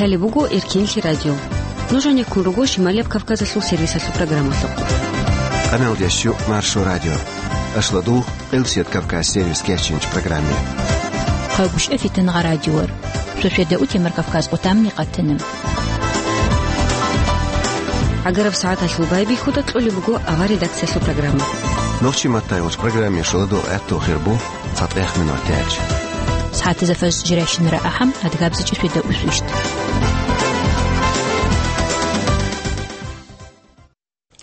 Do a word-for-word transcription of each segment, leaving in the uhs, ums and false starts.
Гьале буго Эркенлъи радио. Нуж гьанеккун руго Шималияб Кавказалъул сервисалъул программалъухъ. Къамел ящу Маршо радио. Ашладу Къилсият Кавказ сервис кечинч программе. Хъагуш эфитан гъа радиор. Сосведа утемар Кавказ къутамни къатана. Агараб сагӀаталъул байбихьуда кьолеб буго авар редакциялъул программа. Нохчи маттайгъуч программе шуладу гӀатту хирбу. Фатех минутач. СагӀатазда фаз жирайщинара ахӀам, адгабзичӀи светда усвищт.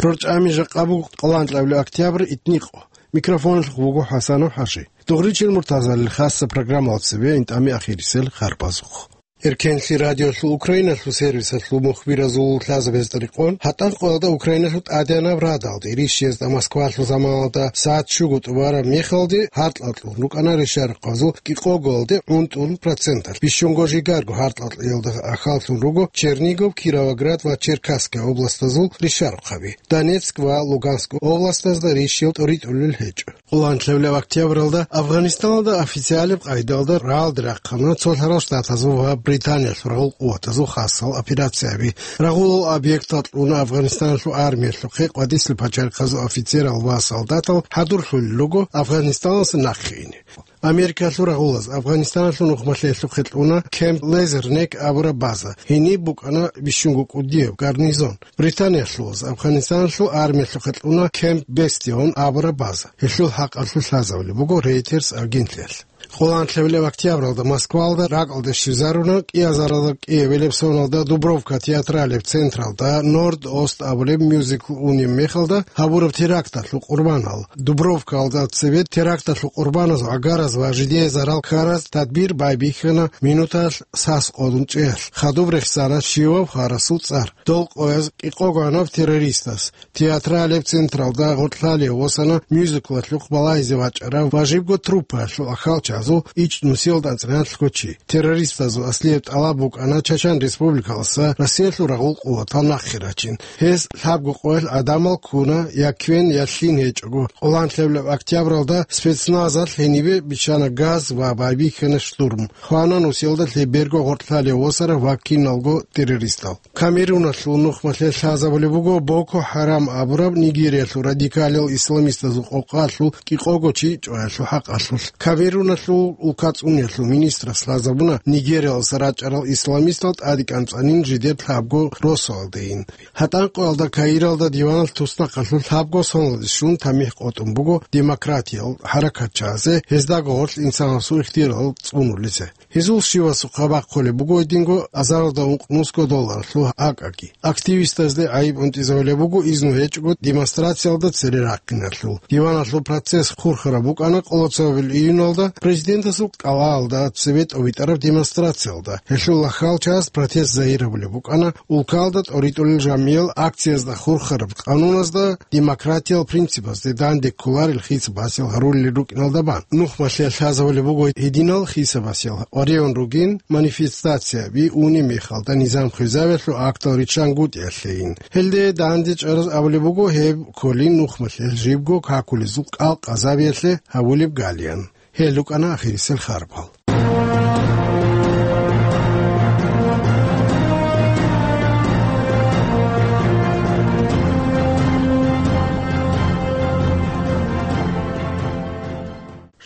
РорчӀами жакъа буго къоланлъабилеб октябрь итникъо. Микрофонлъухъ вуго ХӀасанов ХӀажи. Дугъричил муртазалил хасса программалда цебе интӀами ахирисел харбазухъ. Эркенлъи радиолъул Украиналъул сервисалъул мухбиразул лъазабазда рекъон, гьатӀан къоялда Украиналъул тӀадегӀанаб радалде ирищиязда Москвалъул заманалда сагӀат щуго тӀубараб мехалде гьаркьалъун рукӀана ришарухъазул кӀикъогоялде гӀунтӀун проценталъ, бищунго жигарго гьаркьалъиялда ахаллъун руго Чернигов, Кировоград ва Черкасская областазул ришарухъаби, Донецк ва Луганск областазда рищил тӀоритӀулел гьечӀо. Къоланлъабилеб октябралда Афганистаналда официалаб къайдалда рагӀалде рахъана цолъарал штатазул ва Британиялъул рагъул къуватазул хасал операцияби. Рагъулал объектал кьуна Афганистаналъул армиялъухъе къватӀислъи пачарихъазул офицерал ва солдатал хӀадурлъулел руго Афганистаналдаса нахъе ине. Америкалъул рагъулаз Афганистаналъул нухмалъиялъухъе кьуна Кемп Лезернек абураб база, гьениб букӀана бищунго кӀудияб гарнизон. Британиялъулаз Афганистаналъул армиялъухъе кьуна Кемп Бестион абураб база. Гьелъул хӀакъалъулъ лъазабулеб буго Рейтерс агенталъ. Къоланлъабилеб октябралда Москвалда ракӀалде щвезаруна кӀиазаралда кӀиабилеб соналда Дубровка театралеб централда Норд-Ост абулеб мюзикл унеб мехалда гьабураб теракталъул къурбанал. Дубровкалда цебе теракталъул къурбаназул гӀагараз ва жидее зарал ккараз тадбир байбихьана минуталъ сас къодун чӀеялъ, хадуб рехсана щивав гьарасул цӀар. Дол къояз кӀикъогоанав террористас. Театралеб централда гъоркьлъалев восана мюзиклалъухъ балагьизе вачӀарав ва жибго труппаялъул ахалчазул ичӀнусиялда анцӀралъго чи. Террористазул аслияб тӀалаб букӀана Чачан Республикалдаса Россиялъул рагъул къуватал нахъе рачин. Гьез лъабго къоялъ гӀадамал ккуна, я кквен, я лъин гьечӀого. Къоланлъабилеб октябралда спецназалъ гьенибе биччана газ ва байбихьана штурм. Хвана нусиялда лъеберго гъоркьлъалев восарав ва киналго террористал. Камеруналъул нухмалъе лъазабулеб буго Боко Харам абураб Нигериялъул радикалил исламистазул къокъалъул кӀикъого чи чӀваялъул хӀакъалъулъ. Камеруналъул улкацӀуниялъул министрас лъазабуна Нигериялдаса рачӀарал исламистал тӀадекӀанцӀанин жидер лъабго росуалдейин. ГьатӀанкъоялда Каиралда диваналъ туснахъалъулъ лъабго соналде щун тамихӀ къотӀун буго демократиял хӀаракатчиязе, гьездаго гъорлъ инсанасул ихтиярал цӀунулезе. Гьезул щивасухъа бахъулеб буго гьединго азаралда ункънусго долларалъул акӀаги. Активистазде гӀайиб унтӀизабулеб буго изну гьечӀого демонстрациялда цере рахъиналъул. Диваналъул процесс хурхараб букӀана къолоцабил июналда президентасул кӀалалда цебе тӀобитӀараб демонстрациялда. Гьелъул ахалчагьаз протест загьирабулеб букӀана улкалда тӀоритӀулел жамиял акциязда хурхараб къануназда демократиял принципазде данде кколарел хисабасел гьарулел рукӀиналда бан. Нухмалъе лъазабулеб буго гьединал хисабасел гьарион ругин манифестацияби унеб мехалда низам хвезавиялъул актал риччан гутӀиялъейин. Гьелде данде чӀараз абулеб буго гьеб кколин нухмалъе жибго какулезул кӀал къазабиялъе гьавулеб галиян. Гьел рукӀана ахирисел харбал.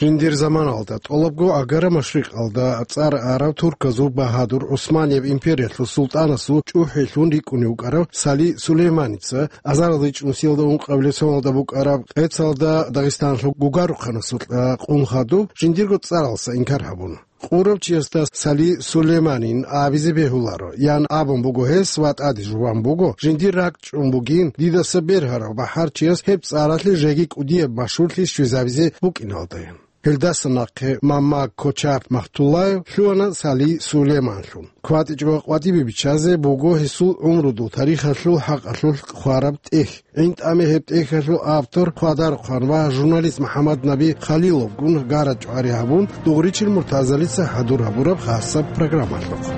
Жиндир заманалда тӀолабго агара машрикъалда цӀар арав турказул багьадур ГӀусманияб империялъул султӀанасул чӀухӀилъун рикӀкӀунев вукӀарав Сали Сулейманица азарилда ичӀнусиялда ункъабилеб соналда букӀараб къецалда Дагъистаналъул Гугарухъанасукьа къун хадуб, жиндирго цӀаралса инкар гьабуна. Къурав чиясда Сали Сулейманин абизе бегьуларо, ян абун буго гьес ва тӀаде жуван буго, жиндир ракӀчӀун бугин, дидаса бергьарав бахӀарчияс гьеб цӀаралъе жеги кӀудияб машгьурлъи щвезабизе букӀиналдаян. Гьелдаса нахъе Мамма Кочап Махтуллаев лъугьана Сали Сулейманлъун. КватӀичӀого къватӀибе биччазе буго гьесул гӀумрудул тарихалъул хӀакъалъулъ хъвараб тӀехь. ГӀинтӀаме гьеб тӀехьалъул автор, хъвадарухъан ва журналист МухӀаммаднаби Халиловгун гара чӀвари гьабун, дугъричил муртазалица хӀадур гьабураб хасаб программалъухъ.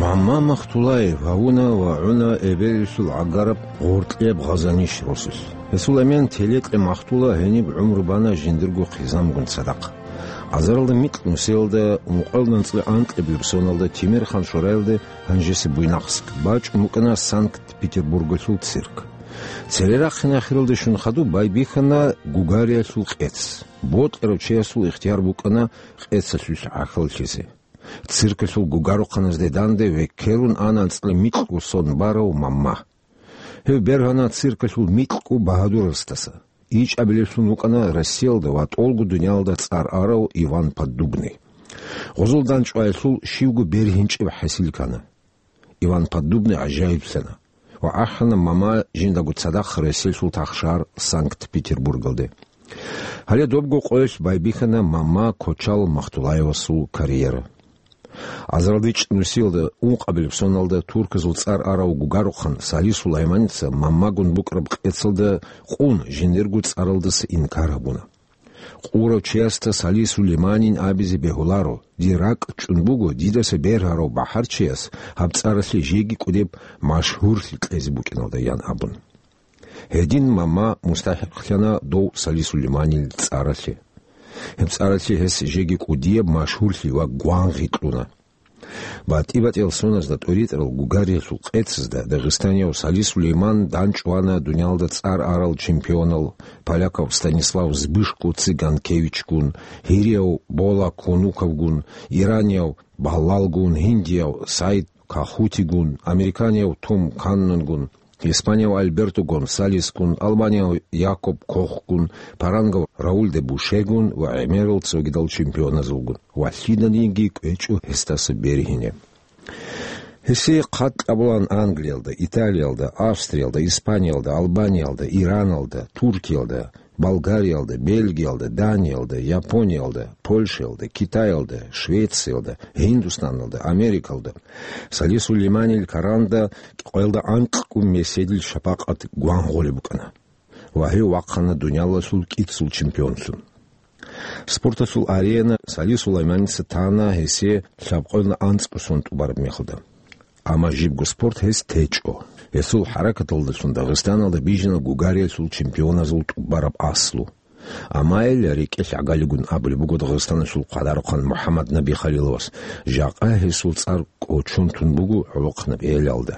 Мамма Махтулаев гьавуна ва гӀуна эбелалъул гӀагараб гъоркьеб Гъазаниш росулъ. Гьесул эмен телекье махтула гьениб гӀумру бана жиндирго хъизамгун цадахъ. Азаралда микь нусиялда, ункъоялда анцӀила анкьабилеб соналда Тимерхан шораялда гьанжеса Буйнакск, бачӀун букӀана Санкт-Петербургалъул цирк. Цере рахъине ахиралде щун хадуб байбихьана гугариялъул къец. Бокьарав чиясул ихтияр букӀана къецалъулъ гӀахьаллъизе. Циркалъул гугарухъаназде данде векерун ана анцӀила микьго сон барав Мамма. Гьев бергьана циркалъул микьго багьадурасдаса. ИчӀабилевлъун вукӀана Россиялда ва тӀолго дуниялда цӀар арав Иван Поддубный. Гъозул дандчӀваялъул щивго бергьинчӀеб хӀасил ккана. Иван Поддубный гӀажаиблъана ва ахӀана Мамма жиндаго цадахъ Россиялъул тахшар Санкт-Петербургалде. Гьале добго къоялъ байбихьана Мамма Кочал Махтулаевасул карьера. Азаралда ичӀнусиялда ункъабилеб соналда турказул цӀар арав гугарухъан Сали Сулайманица Маммагун букӀараб къецалда къун жиндирго цӀаралдаса инкар гьабуна. Къурав чиясда Сали Сулейманин абизе бегьуларо, дир ракӀ чӀун буго дидаса бергьарав бахӀарчияс гьаб цӀаралъе жеги кӀудеб машгьурлъи кьезе букӀиналда, ян абун. Гьедин Мамма мустахӀикълъана дов Сали Сулейманил цӀаралъе. Гьеб цӀаралъе гьес жеги кӀудияб машгьурлъи ва гвангъи кьуна. БатӀи-батӀиял соназда тӀоритӀарал гугариялъул къецазда дагъистанияв Сали Сулейман дандчӀвана дуниялда цӀар арал чемпионал, полякав Станислав Збышко Цыганкевичгун, гьирияв Бола Конуковгун, иранияв Баллалгун, гьиндияв Саид Кахутигун, американияв Том Каннонгун, испанияв Альберто Гонсалесгун, албанияв Якоб Кохгун, парангав Рауль де Бушегун ва гӀемерал цогидал чемпионазулгун ва лъиданиги кӀвечӀо гьесдаса бергьине. Гьесие хъат кьабулаан Англиялда, Италиялда, Австриялда, Испаниялда, Албаниялда, Ираналда, Туркиялда, Болгариялда, Бельгиялда, Даниялда, Япониялда, Польшаялда, Китаялда, Швециялда, Гьиндустаналда, Америкалда. Сали Сулейманил каранда къоялда анкьго меседил шапакъат гвангъулеб букӀана ва гьев вахъана дуниялалъул кӀицӀул чемпионлъун. Спорталъул арена Сали Сулайманица тана гьесие лъабкъоялда анцӀго сон тӀубараб мехалда. Амма жибго спорт гьес течӀо. Гьесул хӀаракаталдалъун Дагъистаналда бижана гугариялъул чемпионазул тӀубараб аслу. Амма гьел рекӀелъ гӀагалигун абулеб буго Дагъистаналъул хъвадарухъан МухӀаммаднаби Халиловас, жакъа гьесул цӀар кӀочон тун буго гӀолохъанаб гьелалда.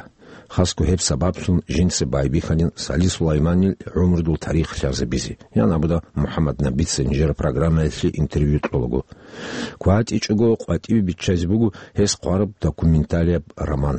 Хасго гьеб сабаблъун жинца байбихьанин Сали Сулайманил гӀумрудул тарих лъазабизе, ян абуда МухӀаммаднабица нижер программаялъе интервью кьолаго. КватӀичӀого къватӀиве биччазе буго гьес хъвараб документалияб роман.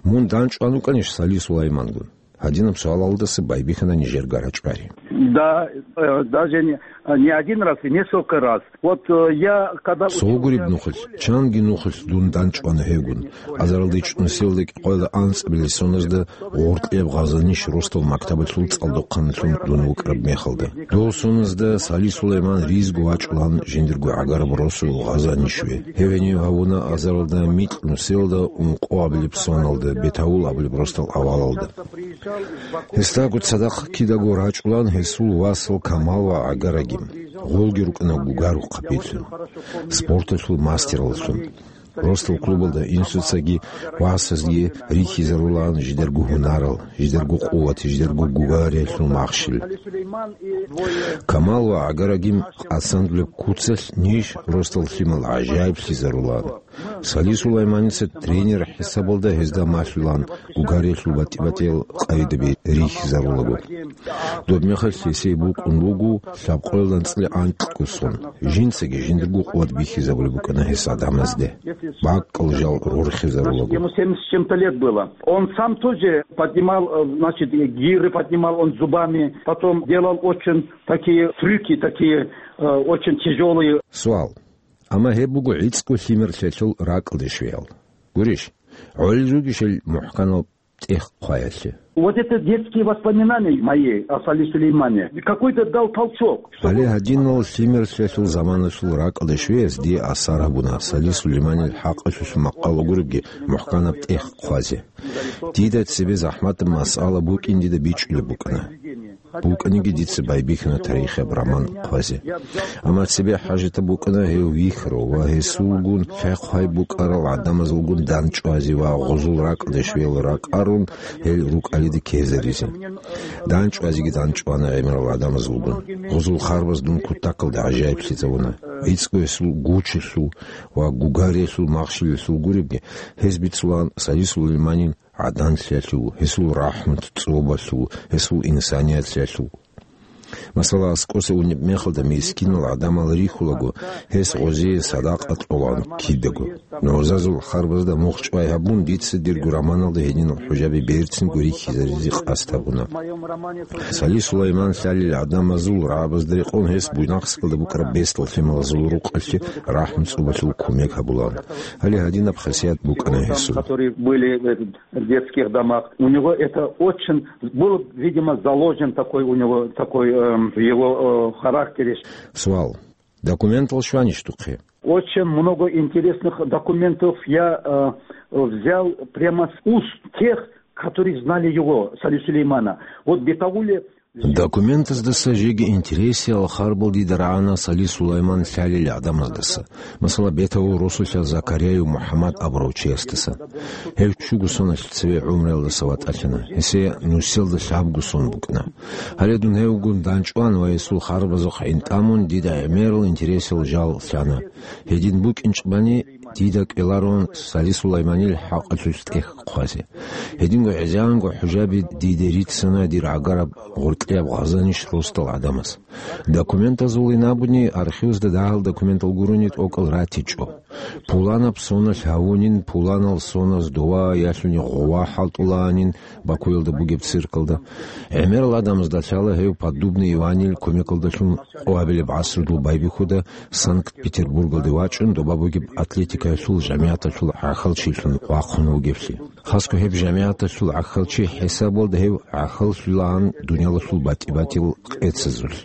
Мун дандчӀван вукӀанищ Сали Сулаймангун? Гьадинаб суалалдаса байбихьана нижер гарачӀвари. Да, э, даже не, не один раз, и несколько раз. Вот, э, я когда Цо учился гуреб в нухалъ, школе, чанги нухалъ дун дандчӀвана гьевгун. Азаралда ичӀнусиялда кӀикъоялда анцӀабилеб соназда гъоркьияб Гъазаниш росдал мактабалъул цӀалдохъанлъун дун вукӀараб мехалда. Дов соназда Сали Сулайман ризго вачӀулан жиндирго гӀагараб росу Гъазанишве. Гьев гьенив гьавуна азаралда микь нусиялда ункъоабилеб соналда, Бетаул абулеб росдал авалалда. Гьесдаго цадахъ кидаго рачӀулан гьесул васал Камал ва гӀагарагим. Гъолги рукӀана гугарухъабилъун, спорталъул мастераллъун. Росдал клубалда инсуцаги васазги рихьизарулаан жидерго гьунарал, жидерго къуват, жидерго гугариялъул махщел. Камал ва гӀагарагим къасандулеб куцалъ ниж росдал лъимал гӀажаиблъизарулаан. Сали Сулайманица тренер хӀисабалда гьезда малъулаан гугариялъул батӀи-батӀиял къайдаби рихьизарулаго. Доб мехалъ гьесие букӀун буго лъабкъоялда анцӀила анкьго сон. Жинцаги жиндирго къуват бихьизабулеб букӀана гьес гӀадамазде. БакӀал жал рорхизарулаго. Ему семьдесят с чем-то лет было. Он сам тоже поднимал, э, значит, гиры поднимал он зубами, потом делал очень такие трюки, такие, э, очень тяжелые. Суал. Амма гьеб буго гӀицӀго лъимерлъиялъул ракӀалде щвеял. Гурищ, гӀолел ругищ гьел мухӀканал тӀех хъваялъе? Вот это детские воспоминания мои о Сали Сулеймане. Какой-то дал толчок, чтобы Гьале гьадинал лъимерлъиялъул заманалъул ракӀалде щвеяс дие асар гьабуна Сали Сулейманил хӀакъалъулъ макъал гуребги мухӀканаб тӀех хъвазе. Дида цебе захӀматаб масъала букӀин дида бичӀчӀулеб букӀана. БукӀаниги дица байбихьана тарихияб роман хъвазе. Амма цебе хӀажатаб букӀана гьев вихьарав ва гьесулгун лъай-хъвай букӀарал гӀадамазулгун данчӀвазе ва гъузул ракӀалде щвел ракӀарун гьел рукӀалида ккезаризе. ДанчӀвазеги данчӀвана гӀемерал гӀадамазулгун. Гъузул харбаз дун кутакалда гӀажаиблъизавуна. ГӀицӀго гьесул гучилъул ва гугариялъул махщелалъул гуребги, гьез бицулаан Салис Сулайманил гӀаданлъиялъул, гьесул рахӀмат цӀобалъул, гьесул инсаниялъиялъул. Масала, аскӀоса унеб мехалда мискинал гӀадамал рихьулаго, гьес гъозие садакъа кьолаан кидаго. НугӀзазул харбазда мухчӀвай гьабун, дица дирго романалда гьединал хӀужаби берцинго рихьизаризе къасд гьабуна. Салис Сулайман лъалел гӀадамазул рагӀабазда рекъон гьес Буйнакскалда букӀараб бесдал лъималазул рукъалъе рахӀму цӀубалъул кумек гьабулаан. Гьале гьадинаб хасият букӀана гьесул. Которые были в этих детских домах. У него это очень был, видимо, заложен такой у него, такой, эм, в его, э, характере. Суал. Документал щванищ духъе? Очень много интересных документов я, э, взял прямо с уст тех, которые знали его, Сали Сулеймана. Вот в Бетауле Документаздаса жеги интересиял харбал дида рагӀана Сали Сулайман лъалел гӀадамаздаса, масала, Бетаул росулъа Закарияев МухӀаммад абурав чиясдаса. Гьев ччуго соналъ цеве гӀумруялдаса ватӀалъана, гьесие нусиялда лъабго сон букӀана. Гьале дун гьевгун данчӀван ва гьесул харбазухъ гӀинтӀамун дида гӀемерал интересиял жал лъана. Гьедин букӀинчӀебани, дида кӀеларун Сали Сулайманил хӀакъалъулъ тӀехь хъвазе. Гьединго гӀезегӀанго хӀужаби диде рицана дир гӀагараб гъоркьияб Гъазаниш росдал гӀадамаз. Документазулин абуни, архивазда дагьал документал гурони тӀокӀал ратичӀо. Пуланаб соналъ гьавунин, пуланал соназ дова ялъуни гъова хӀалтӀулаанин Бакуялда бугеб циркалда. ГӀемерал гӀадамазда лъала гьев Поддубный Иванил кумекалдалъун къоабилеб гӀасрудул байбихьуда Санкт-Петербургалде вачӀун, доба бугеб атлетикаялъул жамигӀаталъул гӀахьалчилъун вахъун вугевлъи. Хасго гьеб жамигӀаталъул гӀахьалчи хӀисабалда гьев гӀахьаллъулаан дуниялалъул батӀи-батил къецазулъ.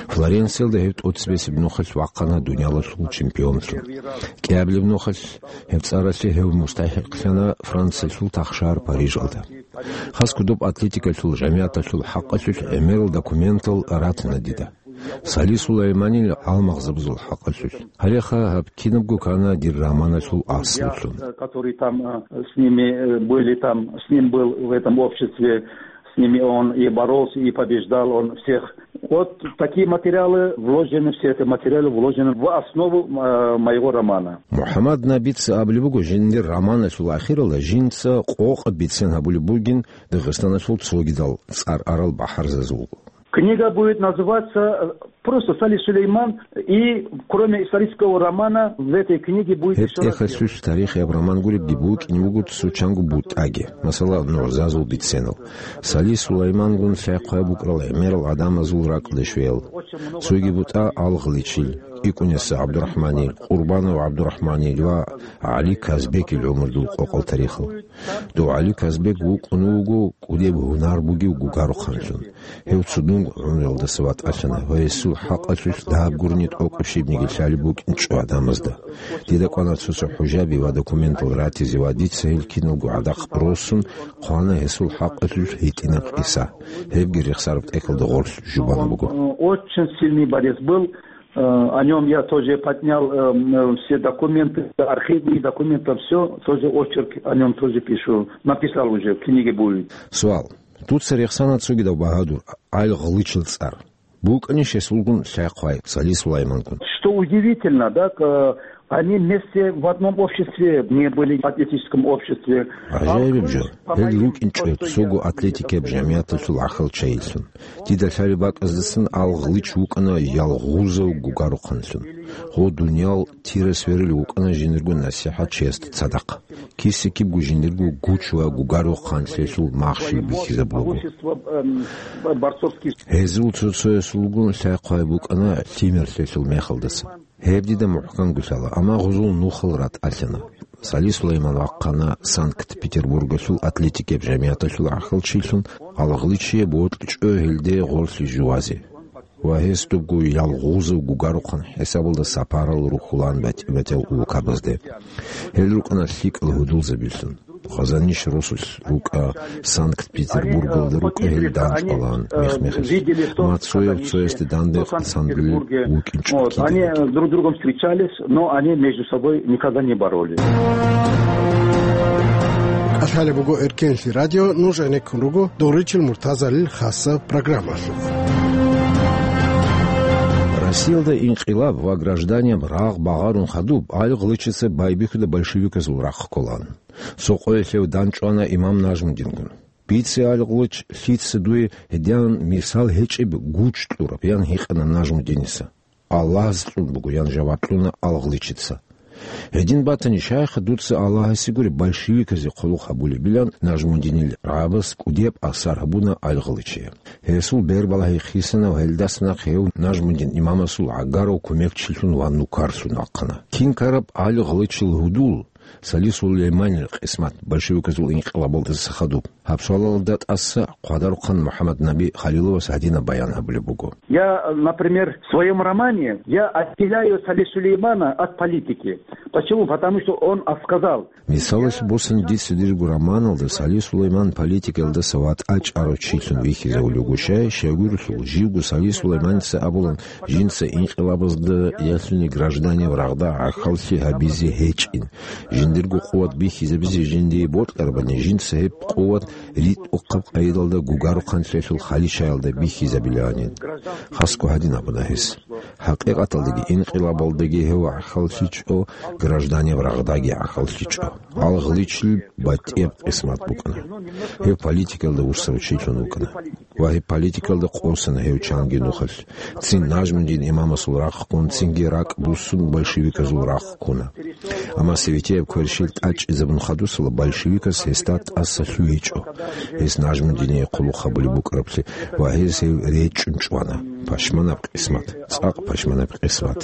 Флоренциялда гьев тӀоцебесеб нухалъ вахъана дуниялалъул чемпионлъун. КӀиабилеб нухалъ гьеб цӀаралъе гьев мустахӀикълъана Франциялъул тахшагьар Парижалда. Хасго доб атлетикалъул жамигӀаталъул хӀакъалъулъ гӀемерал документал ратана дида. Сали Сулайманил гьалмагъзабазул хӀакъалъулъ. Гьалеха гьаб кинабго ккана дир романалъул аслулъун. Который там, э, с ними, э, были там, с ним был в этом обществе, с ними он и боролся, и побеждал он всех. Вот такие материалы вложены, все эти материалы вложены в основу, э, моего романа. МухӀаммад Набица абулеб буго, жиндир романалъул ахиралда жинца къокъаб бицен гьабулеб бугин Дагъистаналъул цогидал цӀар арал бахӀарзазул. Книга будет называться, э, просто Сали Сулейман, и кроме исторического романа в этой книге будет Гьеб ещё раз тӀехалъулъ тарихияб роман гуребги букӀине буго цо чанго бутӀаги, масала, нугӀзазул биценал. Сали Сулаймангун лъай-хъвай букӀарал гӀемерал гӀадамазул ракӀалде щвеял. Цоги бутӀа Алгъличил, ИкӀунесса ГӀабдурахӀманил, Къурбанов ГӀабдурахӀманил ва ГӀали Казбекил гӀумрудул къокъал тарихал. Дов ГӀали Казбек вукӀун вуго кӀудеб гьунар бугев гугарухъанлъун. Гьев цудун гӀумруялдаса ватӀалъана ва гьесул хӀакъалъулъ дагьаб гурони тӀокӀаб щибниги лъалеб букӀинчӀо гӀадамазда. Дида кӀвана цо-цо хӀужаби ва документал ратизе ва дица гьел киналго гӀадакъ росун хъвана гьесул хӀакъалъулъ гьитӀинаб къиса. Гьебги рехсараб тӀехьалда гъорлъ жубан буго. Очень сильный борец был. Э, о нём я тоже поднял, э, м, э, все документы, архивные документы, всё, тоже очерк о нём тоже пишу. Написал уже, в книге будет. Суал. Дуца рехсана цогидав багьадур, Алгъличил цӀар. БукӀанищ гьесулгун лъай-хъвай, Сали Сулаймангун? Что удивительно, да, к-, они вместе в одном обществе не были, в атлетическом обществе. ГӀажаибаб жо, гьел рукӀинчӀо цого атлетикаяб жамигӀаталъул гӀахьалчайилъун. Дида лъалеб бакӀаздасан Алгълич вукӀана ялгъузав гугарухъанлъун. Гъо дуниял тира сверулев вукӀана жиндирго насихӀатчиясда цадахъ. Киса-кибго жиндирго гуч ва гугарухъанлъиялъул махщел бихьизабулаго. Гьезул цо-цоясулгун лъай-хъвай букӀана лъимерлъиялъул мехалдаса. Гьеб дида мухӀканго лъала, амма гъузул нухал ратӀалъана. Сали Сулайман вахъана Санкт-Петербургалъул атлетикаяб жамигӀаталъул гӀахьалчилъун, Алгъличие бокьичӀо гьелде гъорлъе жувазе. Ва гьес дубго ялгъузав гугарухъан хӀисабалда сапарал рухьулаан батӀи-батӀиял улкабазде. Гьел рукӀана лъикӀал гьудулзабилъун. Хъазаниш росулъ рукӀа, Санкт-Петербургалда рукӀа гьел данчӀвалаан мех-мехалъ. Ма цояв цоясде данде хъсан вукӀинчӀо ккидал. Они друг с другом встречались, но они между собой никогда не боролись. КӀалъалеб буго Эркенлъи радио, нуж гӀенеккун руго Доричил Муртазалил хасаб программалъухъ. Россиялда инкъилаб ва гражданияб рагъ багъарун хадуб, ГӀали Гълычица байбихьуда большевиказул рахъ кколаан. Цо къоялъ гьев данчӀвана имам Нажмудингун. «Бице, ГӀали Гълыч, лъица дуе гьедин мисал гьечӀеб гуч кьураб», – ян гьикъана Нажмудиница. «Аллагьас кьун буго», – ян жаваб кьуна ГӀали Гълычица. «Гьедин батани, щайха дуца Аллагьасе гури большевиказе хъулухъ гьабулебилан?» – Нажмудинил рагӀабас кӀудияб асар гьабуна ГӀали Гълычие. Гьесул бербалагьи хисана ва гьелдаса нахъе гьев Нажмудин имамасул гӀагарав кумекчилъун ва нукарлъун вахъана. Кин ккараб ГӀали Гълычил гьудул, Сали Сулейманил къисмат большевиказул инкъилабалдаса хадуб? Гьаб суалалда тӀаса Хъвадарухъан МухӀаммаднаби Халиловас гьадинаб баян гьабулеб буго. Я, например, в своём романе я отделяю Сали Сулеймана от политики. Почему? Потому что он отказал. Мисалалъе босани, дица дирго романалда Сали Сулейман политикалдаса ватӀа чӀарав чилъун вихьизавулев вуго, щай, щайгурелъул, живго Сали Сулейманица абулан, жинца инкъилабазда ялъуни гражданияв рагъда гӀахьаллъи гьабизе гьечӀин. Жиндирго къуват бихьизабизе жиндие бокьарабани, жинца гьеб къуват ритӀухъаб къайдалда гугарухъанлъиялъул хвалищаялда бихьизабилаанин. Хасго гьадин абуна гьес. Хакъикъаталдаги инкъилабалдаги гьев гӀахьаллъичӀо, гражданияв рагъдаги гӀахьаллъичӀо. ГӀали Гълычил батӀияб къисмат букӀана. Гьев политикалда вуссарав чилъун вукӀана. Ва гьеб политикалда къосана гьев чанги нухалъ. Цин Нажмудин имамасул рахъ ккун, цинги ракӀ буссун большевиказул рахъ ккуна. Амма советияб кверщел тӀачӀизабун хадусала большевикас гьесда тӀаса лъугьичӀо, гьес Нажмудине хъулухъ гьабулеб букӀараблъи, ва гьез гьев речӀчӀун чӀвана. Пашманаб къисмат, цӀакъ пашманаб къисмат.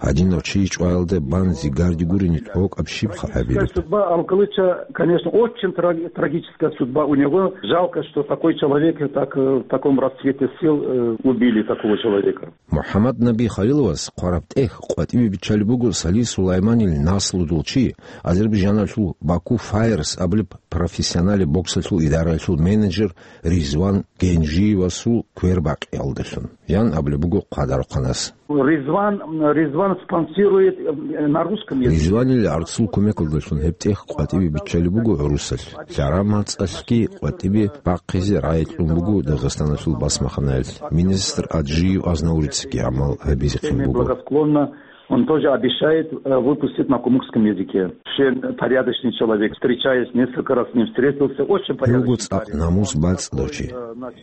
Гьадинав чи чӀваялда бан зигарде гурони тӀокӀаб щибха гьабилеб? Судьба Алкалыча, конечно, очень траг-, трагическая судьба у него. Жалко, что такой человек так, э, в таком расцвете сил, э, убили такого человека. МухӀаммаднаби Халиловас хъвараб тӀехь къватӀибе биччалеб буго Сали Сулайманил наслудул чи, азербайджаналъул Баку Файерс абулеб профессионале боксалъул идараялъул менеджер Ризван Генжиевасул квербакъиялдалъун, ян абулеб буго Хъвадарухъанас. Ризван, Ризван спонсирует, э, на русском языке. Ризванил гӀарцул кумекалдалъун гьеб тӀехь къватӀибе биччалеб буго гӀурусалъ. ЛъарамацӀалъги къватӀибе бахъизе рагӀи кьун буго Дагъистаналъул басмаханаялъ. Министр Аджиев Азнаурицаги гӀамал гьабизехъин буго. Благосклонно. Он тоже обещает, э, выпустить на кумыкском языке. Вообще порядочный человек, встречаясь, несколько раз с ним встретился, очень порядочный человек. Гьев вуго цӀакъ намус бацӀцӀадав чи.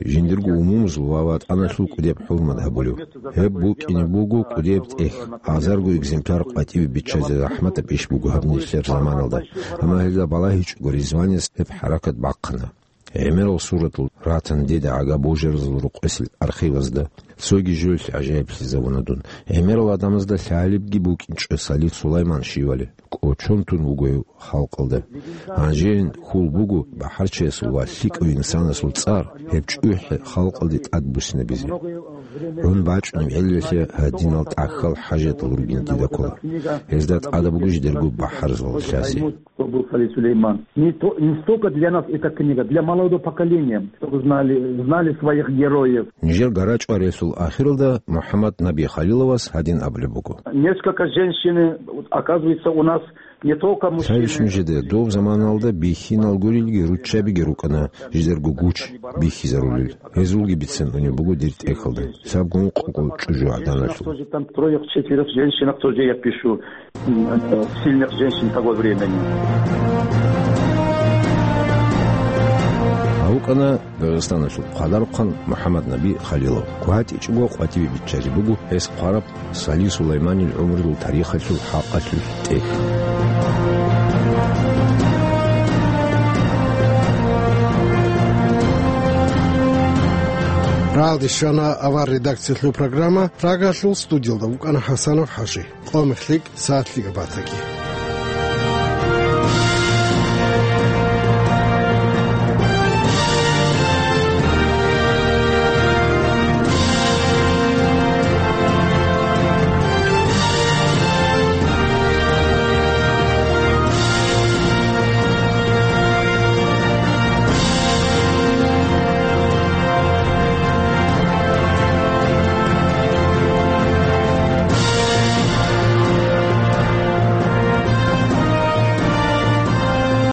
Жиндирго умумузул ва ватӀаналъул кӀудияб хӀурмат гьабулев. Гьеб букӀине буго кӀудияб тӀехь, азарго экземпляр къватӀибе биччазе захӀматаб иш буго гьаб нилъер заманалда. Амма гьелда балагьичӀого Ризванис гьеб хӀаракат бахъана. ГӀемерал суратал ратан дида гӀага божаразул рукъосел архивазда. Цоги жоялъе гӀажаиблъизавуна дун. ГӀемерал гӀадамазда лъалебги букӀинчӀо Сали Сулайман щивали. КӀочон тун вуго гьев халкъалда. Гьанжеян хьул буго бахӀарчиясул ва лъикӀав инсанасул цӀар гьеб чӀухӀи халкъалде тӀадбуссинабизе. ГӀун бачӀунеб гӀелалъе гьадинал тӀахьал хӀажатал ругин дида ккола. Гьезда тӀадаб буго жидерго бахӀарзал лъазе. Кто был Сали Сулейман? Не то, не столько для нас эта книга, для молодого поколения, чтобы знали, знали своих героев. Нижер гарачӀварелъул ахиралда МухӀаммаднаби Халиловас гьадин абулеб буго. Несколько женщины, вот, оказывается, у нас не только мужчины. Цайищ нужеда дов заманалда бихьинал гурилги руччабиги рукӀана жидерго гуч бихьизарулел. Гьезулги бицен унеб буго дир тӀехьалда. Лъабго ункъго чӀужугӀаданалъул. Тоже там троих-четверых женщинах тоже я пишу. М, э, сильных женщин того времени. АвукӀана Дагъистаналъул хъадарухъан МухӀаммаднаби Халилов. КватӀичӀого къватӀибе биччалеб буго гьес хъвараб Сали Сулайманил гӀумрул тарихалъул хӀакъалъулъ тӀехь. Рагъалде щвана авар редакциялъул программа. Прагалъул студиялда вукӀана ХӀасанов ХӀажи. Къо мехлъи, сагӀат лъикӀаб батаги.